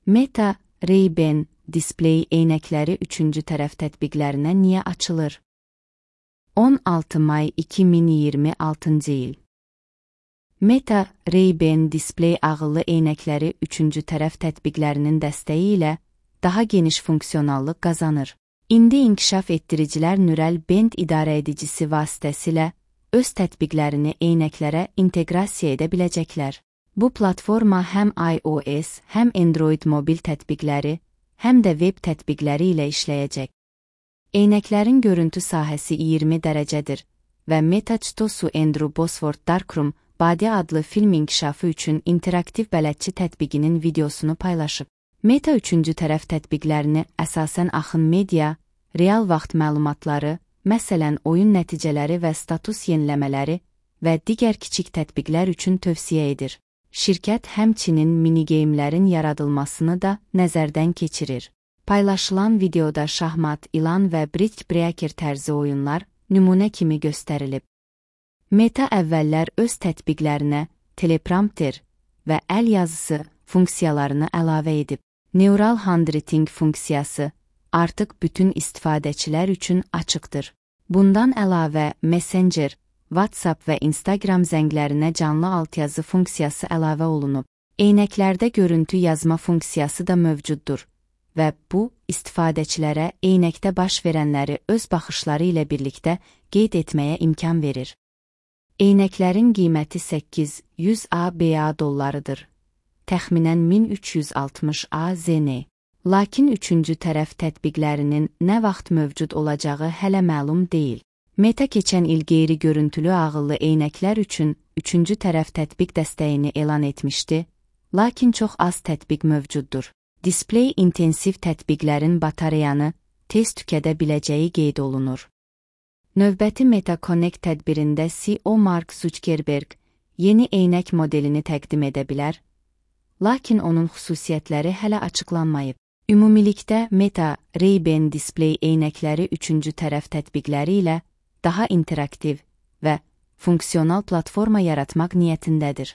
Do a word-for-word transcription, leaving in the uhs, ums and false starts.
Meta, Ray-Ban Display eynəkləri üçüncü tərəf tətbiqlərinə niyə açılır? on altı may iki min iyirmi altıncı il. Meta, Ray-Ban Display ağıllı eynəkləri üçüncü tərəf tətbiqlərinin dəstəyi ilə daha geniş funksionallıq qazanır. İndi inkişaf etdiricilər Neural Band idarəedicisi vasitəsilə öz tətbiqlərini eynəklərə inteqrasiya edə biləcəklər. Bu platforma həm iOS, həm Android mobil tətbiqləri, həm də web tətbiqləri ilə işləyəcək. Eynəklərin görüntü sahəsi iyirmi dərəcədir və Meta Çitosu Andrew Bosworth Darkroom Body adlı film inkişafı üçün interaktiv bələdçi tətbiqinin videosunu paylaşıb. Meta üçüncü tərəf tətbiqlərini əsasən axın media, real vaxt məlumatları, məsələn oyun nəticələri və status yeniləmələri və digər kiçik tətbiqlər üçün tövsiyə edir. Şirkət həmçinin minigeyimlərin yaradılmasını da nəzərdən keçirir. Paylaşılan videoda şahmat, ilan və brick breaker tərzi oyunlar nümunə kimi göstərilib. Meta əvvəllər öz tətbiqlərinə teleprompter və əl yazısı funksiyalarını əlavə edib. Neural handwriting funksiyası artıq bütün istifadəçilər üçün açıqdır. Bundan əlavə Messenger, WhatsApp və Instagram zənglərinə canlı altyazı funksiyası əlavə olunub. Eynəklərdə görüntü yazma funksiyası da mövcuddur və bu, istifadəçilərə eynəkdə baş verənləri öz baxışları ilə birlikdə qeyd etməyə imkan verir. Eynəklərin qiyməti səkkiz yüz ABA dollarıdır. Təxminən min üç yüz altmış AZ N. Lakin üçüncü tərəf tətbiqlərinin nə vaxt mövcud olacağı hələ məlum deyil. Meta keçən il qeyri-görüntülü ağıllı eynəklər üçün üçüncü tərəf tətbiq dəstəyini elan etmişdi, lakin çox az tətbiq mövcuddur. Display intensiv tətbiqlərin batareyanı tez tükədə biləcəyi qeyd olunur. Növbəti Meta Connect tədbirində C E O Mark Zuckerberg yeni eynək modelini təqdim edə bilər, lakin onun xüsusiyyətləri hələ açıqlanmayıb. Ümumilikdə Meta, Ray-Ban Display eynəkləri üçüncü tərəf tətbiqləri ilə daha interaktiv və funksional platforma yaratmaq niyyətindədir.